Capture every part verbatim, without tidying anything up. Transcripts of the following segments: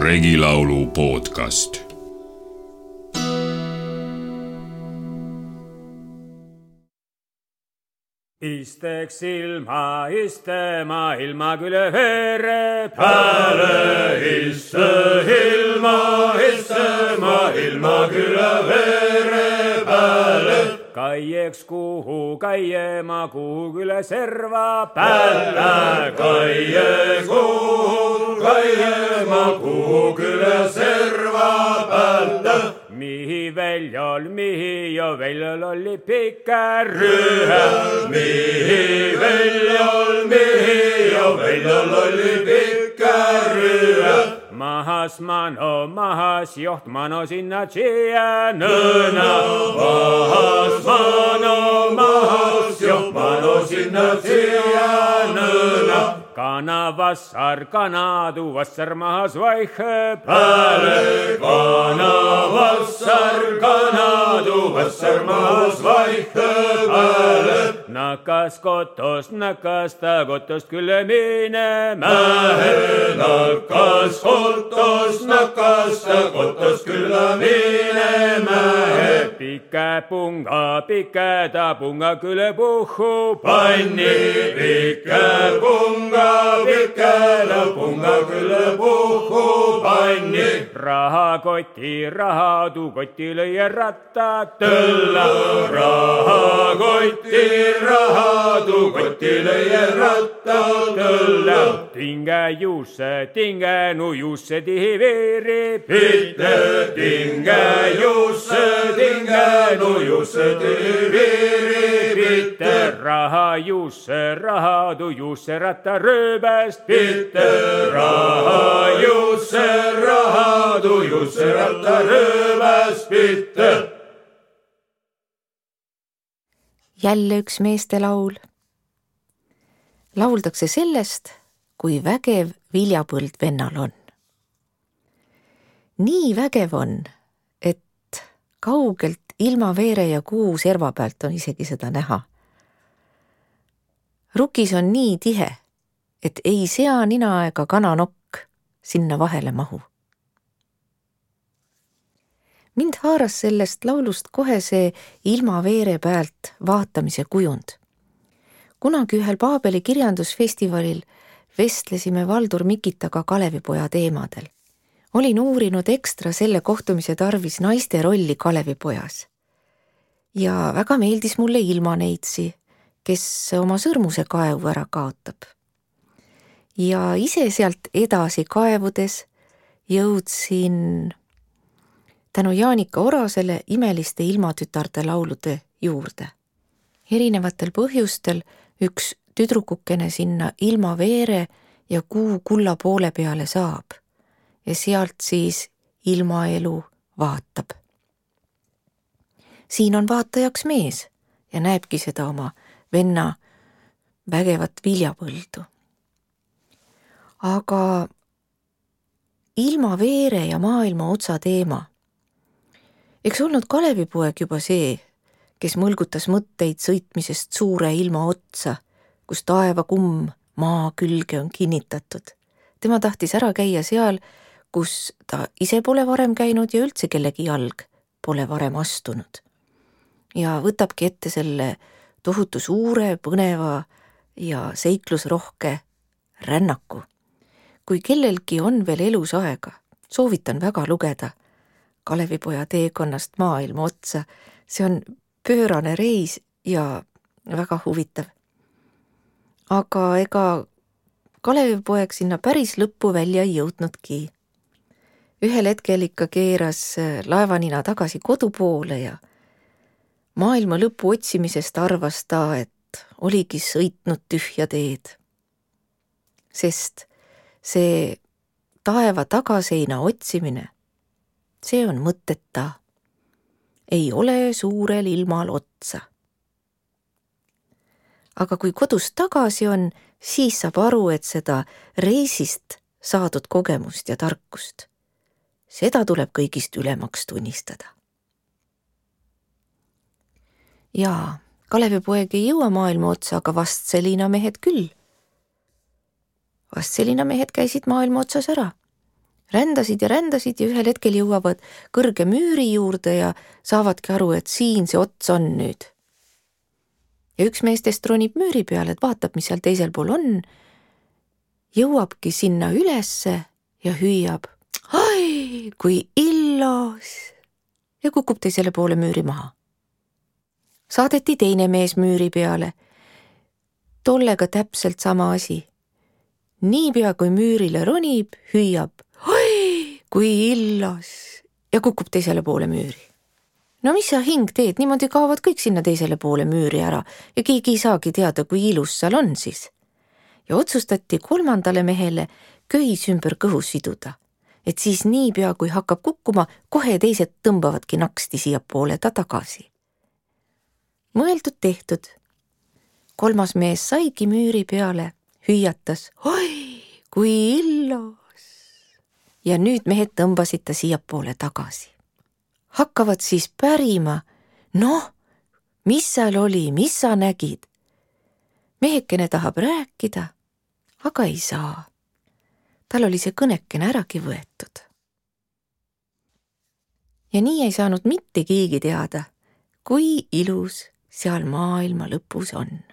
Regilaulu podcast. Isteks ilma, istema ilma küle vere pääle. Iste ilma, istema ilma küle vere pääle. Kaieks kuhu kaiema, kuhu küle serva päälle. Kaieks kuhu kaiema, kuhu küle serva päälle. Mihi väljol, mihi jo väljol oli pikär rühe. Mihi väljol, mihi jo väljol oli pikär rühe. Mahas mano, mahas joht mano sinna tšia nõna. Mahas mano, mahas joht mano sinna tšia nõna. Kana vassar, kana tu vassar mahas vaihe pääle. Kana vassar, kana tu vassar mahas vaihe pääle. Nakas kotost, nakas ta kotost külle minema. Nakas kotost, nakas ta kotost külle minema. Pike punga, pike ta punga külle puhu panni. Pike punga, pike ta punga külle puhu panni. Raha koti, raha tu koti lõie ratta tõlla. Raha koti, raha tu koti lõie ratta tõlla. Tinge juusse, tinge nu juusse tihi veeri pitte. Tinge juusse, tinge nu juusse tihi veeri pitte. Raha juusse, raha tu juusse ratta rööbest pitte. Raha juusse, raha tu juusse ratta rööbest pitte. Jälle üks meestelaul. Lauldakse sellest, kui vägev viljapõld vennal on. Nii vägev on, et kaugelt ilma veere ja kuu serva pealt on isegi seda näha. Rukis on nii tihe, et ei sea nina ega kananokk sinna vahele mahu. Mind haaras sellest laulust kohe see ilma veere pealt vaatamise kujund. Kunagi ühel Paabeli kirjandusfestivalil vestlesime Valdur Mikitaga Kalevipoja teemadel. Olin uurinud ekstra selle kohtumise tarvis naiste rolli Kalevipojas. Ja väga meeldis mulle Ilmaneitsi, kes oma sõrmuse kaevu ära kaotab. Ja ise sealt edasi kaevudes jõudsin tänu Jaanika Orasele imeliste ilmatütarde laulude juurde. Erinevatel põhjustel üks tüdrukukene sinna ilma veere ja kuu kulla poole peale saab ja sealt siis ilmaelu vaatab. Siin on vaatajaks mees ja näebki seda oma venna vägevat viljapõldu. Aga ilma veere ja maailma otsa teema. Eks olnud Kalevipoeg juba see, kes mõlgutas mõtteid sõitmisest suure ilma otsa, kus taeva kumm maa külge on kinnitatud. Tema tahtis ära käia seal, kus ta ise pole varem käinud ja üldse kellegi jalg pole varem astunud. Ja võtabki ette selle tohutu suure, põneva ja seiklusrohke rännaku. Kui kellelgi on veel elus aega, soovitan väga lugeda Kalevipoja teekonnast maailma otsa. See on pöörane reis ja väga huvitav. Aga ega Kalevipoeg sinna päris lõppu välja ei jõudnudki. Ühel hetkel ikka keeras laevanina tagasi kodu poole ja maailma lõpu otsimisest arvas ta, et oligi sõitnud tühja teed. Sest see taeva tagaseina otsimine, see on mõteta. Ei ole suurel ilmal otsa. Aga kui kodus tagasi on, siis saab aru, et seda reisist saadud kogemust ja tarkust, seda tuleb kõigist ülemaks tunnistada. Jaa, Kalevipoeg ei jõua maailma otsa, aga Vastselina mehed küll. Vastselina mehed käisid maailma otsas ära. rändasid ja rändasid ja ühel hetkel jõuavad kõrge müüri juurde ja saavadki aru, et siin see ots on nüüd. Ja üks meestest ronib müüri peale, et vaatab, mis seal teisel pool on, jõuabki sinna ülesse ja hüüab, ai, kui illos, ja kukub teisele poole müüri maha. Saadeti teine mees müüri peale, tollega täpselt sama asi. Niipea kui müürile ronib, hüüab, oi, kui illos, ja kukub teisele poole müüri. No mis sa hing teed, niimoodi kaovad kõik sinna teisele poole müüri ära ja keegi ei saagi teada, kui ilus seal on siis. Ja otsustati kolmandale mehele köis ümber kõhus siduda, et siis niipea kui hakkab kukkuma, kohe teised tõmbavadki naksti siia poole ta tagasi. Mõeldud tehtud. Kolmas mees saigi müüri peale, hüüatas, oi, kui illos. Ja nüüd mehed tõmbasid ta siia poole tagasi. Hakkavad siis pärima, noh, mis seal oli, mis sa nägid? Mehekene tahab rääkida, aga ei saa. Tal oli see kõnekene äragi võetud. Ja nii ei saanud mitte keegi teada, kui ilus seal maailma lõpus on.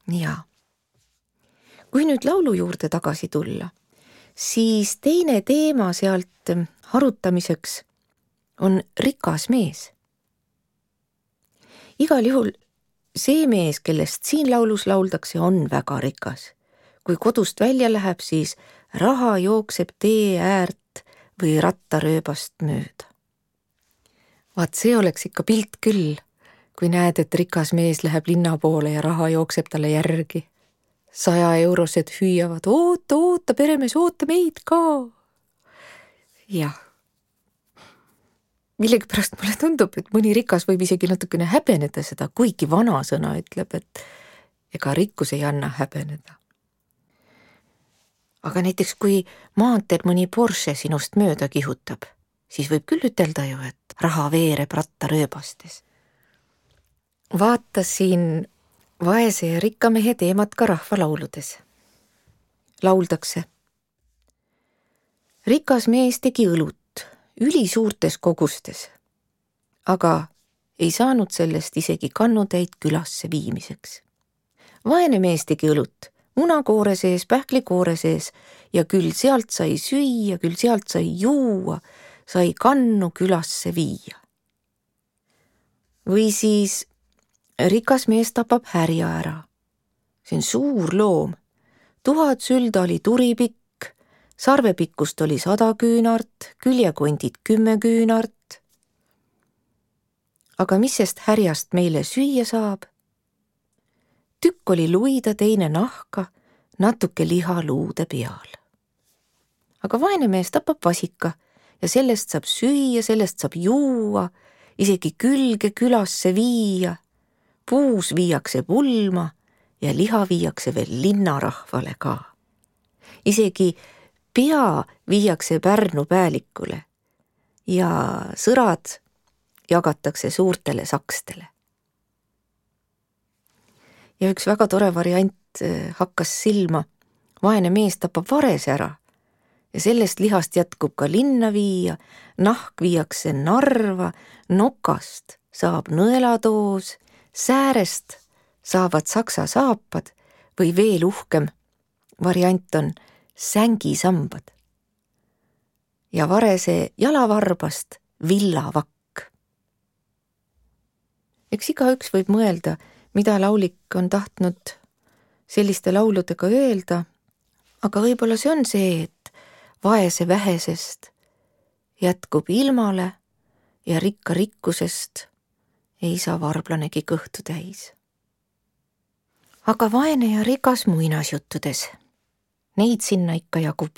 Ja kui nüüd laulu juurde tagasi tulla, siis teine teema sealt arutamiseks on rikas mees. Igal juhul see mees, kellest siin laulus lauldakse, on väga rikas. Kui kodust välja läheb, siis raha jookseb tee äärt või rattarööbast mööda. Vaat see oleks ikka pilt küll, kui näed, et rikas mees läheb linna poole ja raha jookseb talle järgi. Saja eurosed hüüavad, oota, oota, peremees, oota meid ka. Jah. Millegipärast mulle tundub, et mõni rikas võib isegi natukene häbeneda seda, kuigi vana sõna ütleb, et ega rikkus ei anna häbeneda. Aga näiteks kui maanteel mõni Porsche sinust mööda kihutab, siis võib küll ütelda ju, et raha veereb rattarööbastes. Vaatasin vaese ja rikka mehe teemat ka rahvalauludes. Lauldakse. Rikas mees tegi õlut ülisuurtes kogustes, aga ei saanud sellest isegi kannutäid külasse viimiseks. Vaene mees tegi õlut munakoore sees, pähklikoore sees ja küll sealt sai süüa, küll sealt sai juua, sai kannu külasse viia. Või siis rikas mees tapab härja ära. See on suur loom. Tuhat sülda oli turipikk, sarvepikkust oli sada küünart, küljekondid kümme küünart. Aga mis sest härjast meile süüa saab? Tükk oli luida, teine nahka, natuke liha luude peal. Aga vaene mees tapab vasika ja sellest saab süüa, sellest saab juua, isegi külge külasse viia. Puus viiakse pulma ja liha viiakse veel linnarahvale ka. Isegi pea viiakse Pärnu päälikule ja sõrad jagatakse suurtele sakstele. Ja üks väga tore variant hakkas silma. Vaene mees tapab varese ära ja sellest lihast jätkub ka linna viia, nahk viiakse Narva, nokast saab nõelatoos, säärest saavad saksa saapad või veel uhkem variant on sängisambad. Ja varese jalavarbast villavakk. Eks igaüks võib mõelda, mida laulik on tahtnud selliste lauludega öelda, aga võib-olla see on see, et vaese vähesest jätkub ilmale ja rikka rikkusest ei saa varblanegi kõhtu täis. Aga vaene ja rikas muinasjuttudes, neid sinna ikka jagub.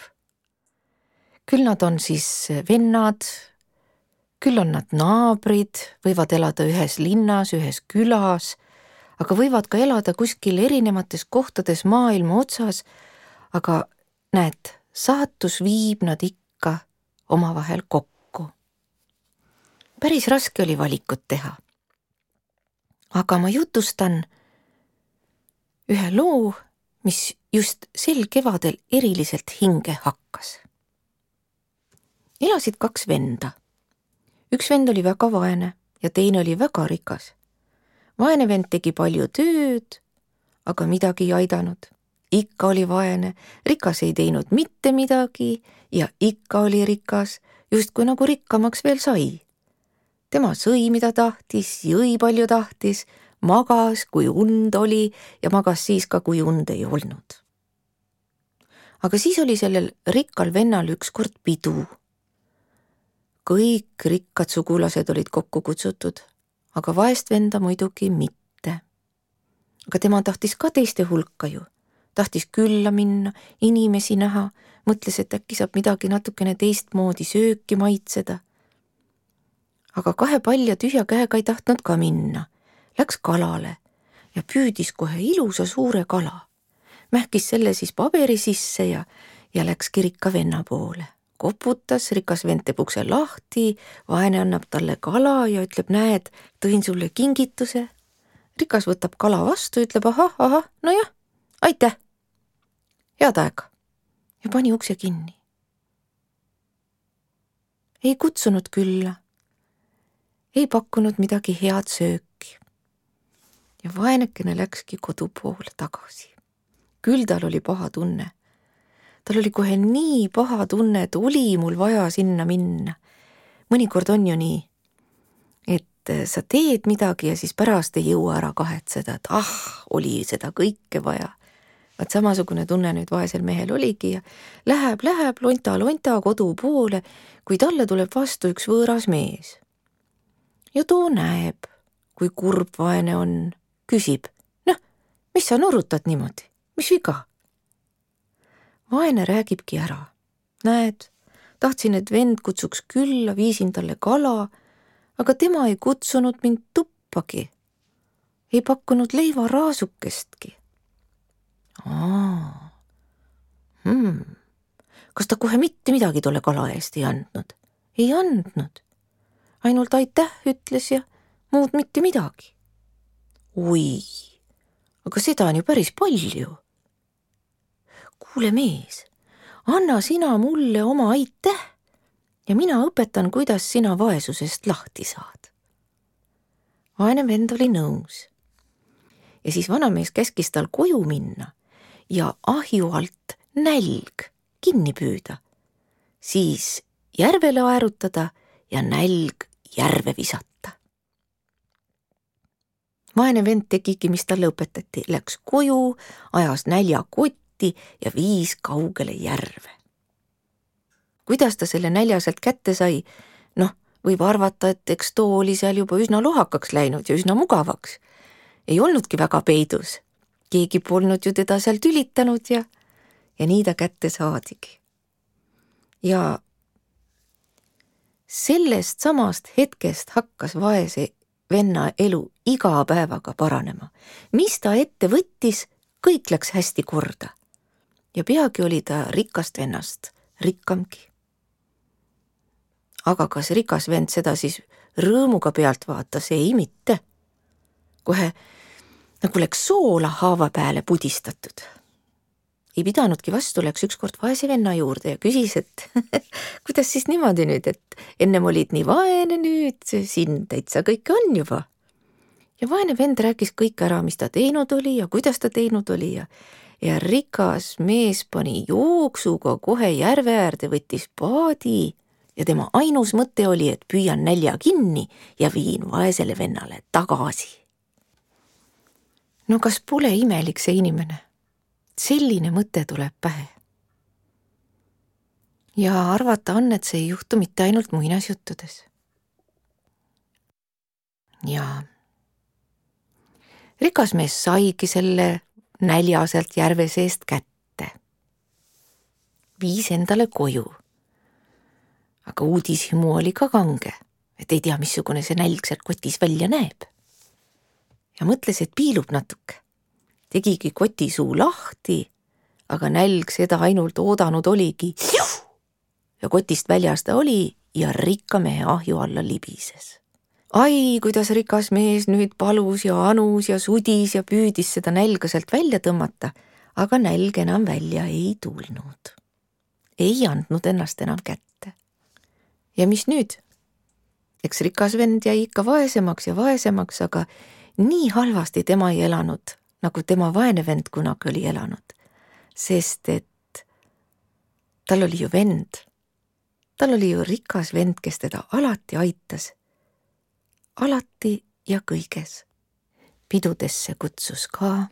Küll nad on siis vennad, küll on nad naabrid, võivad elada ühes linnas, ühes külas, aga võivad ka elada kuskil erinevates kohtades maailma otsas, aga näed, saatus viib nad ikka omavahel kokku. Päris raske oli valikut teha. Aga ma jutustan ühe loo, mis just sel kevadel eriliselt hinge hakkas. Elasid kaks venda. Üks vend oli väga vaene ja teine oli väga rikas. Vaene vend tegi palju tööd, aga midagi ei aidanud. Ikka oli vaene, rikas ei teinud mitte midagi ja ikka oli rikas, justkui nagu rikkamaks veel sai. Tema sõi, mida tahtis, jõi palju tahtis, magas, kui und oli ja magas siis ka, kui und ei olnud. Aga siis oli sellel rikkal vennal ükskord pidu. Kõik rikkad sugulased olid kokku kutsutud, aga vaest venda muidugi mitte. Aga tema tahtis ka teiste hulka ju. Tahtis külla minna, inimesi näha, mõtles, et äkki saab midagi natukene teistmoodi sööki maitseda. Aga kahe palja tühja käega ei tahtnud ka minna. Läks kalale ja püüdis kohe ilusa suure kala. Mähkis selle siis paberi sisse ja, ja läks rikka venna poole. Koputas, rikas vend teeb ukse lahti, vaene annab talle kala ja ütleb, näed, tõin sulle kingituse. Rikas võtab kala vastu, ütleb, ahah, ahah, no jah, aitäh. Head aega. Ja pani ukse kinni. Ei kutsunud külla. Ei pakkunud midagi head sööki. Ja vaenekene läkski kodu poole tagasi. Küll tal oli paha tunne. Tal oli kohe nii paha tunne, et oli mul vaja sinna minna. Mõnikord on ju nii, et sa teed midagi ja siis pärast ei jõua ära kahetseda, et ah, oli seda kõike vaja. Vaat samasugune tunne nüüd vaesel mehel oligi ja läheb, läheb lonta, lonta kodu poole, kui talle tuleb vastu üks võõras mees. Ja too näeb, kui kurb vaene on, küsib, noh, mis sa nurutad niimoodi, mis viga? Vaene räägibki ära. Näed, tahtsin, et vend kutsuks külla, viisin talle kala, aga tema ei kutsunud mind tuppagi. Ei pakkunud leiva raasukestki. Aa. Hmm. Kas ta kohe mitte midagi tolle kala eest ei andnud? Ei andnud. Ainult aitäh ütles ja muud mitte midagi. Oi, aga seda on ju päris palju. Kuule mees, anna sina mulle oma aitäh ja mina õpetan, kuidas sina vaesusest lahti saad. Vaene vend oli nõus. Ja siis vanamees käskis tal koju minna ja ahju alt nälg kinni püüda, siis järvele aerutada ja nälg järve visata. Vaene vend tegigi, mis talle õpetati, läks koju, ajas nälja kotti ja viis kaugele järve. Kuidas ta selle nälja sealt kätte sai? Noh, võib arvata, et eks too oli seal juba üsna lohakaks läinud ja üsna mugavaks. Ei olnudki väga peidus. Keegi polnud ju teda seal tülitanud ja, ja nii ta kätte saadigi. Ja sellest samast hetkest hakkas vaese venna elu iga päevaga paranema. Mis ta ette võttis, kõik läks hästi korda. Ja peagi oli ta rikast vennast rikkamgi. Aga kas rikas vend seda siis rõõmuga pealt vaatas? Ei mitte. Kohe nagu läks soola haava peale pudistatud. Ei pidanudki vastu, läks ükskord vaese venna juurde ja küsis, et kuidas siis niimoodi nüüd, et ennem olid nii vaene nüüd, siin täitsa kõike on juba. Ja vaene vend rääkis kõik ära, mis ta teinud oli ja kuidas ta teinud oli ja, ja rikas mees pani jooksuga kohe järve äärde, võttis paadi ja tema ainus mõte oli, et püüan nälja kinni ja viin vaesele vennale tagasi. No kas pole imelik see inimene? Selline mõte tuleb pähe. Ja arvata on, et see ei juhtu mitte ainult muinasjuttudes. Ja rikas mees saigi selle nälja sealt järve seest kätte. Viis endale koju. Aga uudishimu oli ka kange, et ei tea, missugune see nälg sealt kotis välja näeb. Ja mõtles, et piilub natuke. Tegigi koti suu lahti, aga nälg seda ainult oodanud oligi. Ja kotist väljas ta oli ja rikka mehe ahju alla libises. Ai, kuidas rikas mees nüüd palus ja anus ja sudis ja püüdis seda nälga sealt välja tõmmata, aga nälg enam välja ei tulnud. Ei andnud ennast enam kätte. Ja mis nüüd? Eks rikas vend jäi ikka vaesemaks ja vaesemaks, aga nii halvasti tema ei elanud, nagu tema vaene vend kunagi oli elanud. Sest et tal oli ju vend. Tal oli ju rikas vend, kes teda alati aitas. Alati ja kõiges. Pidudesse kutsus ka,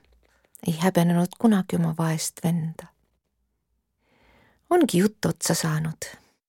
ei häbenenud kunagi oma vaest venda. Ongi jutt otsa saanud.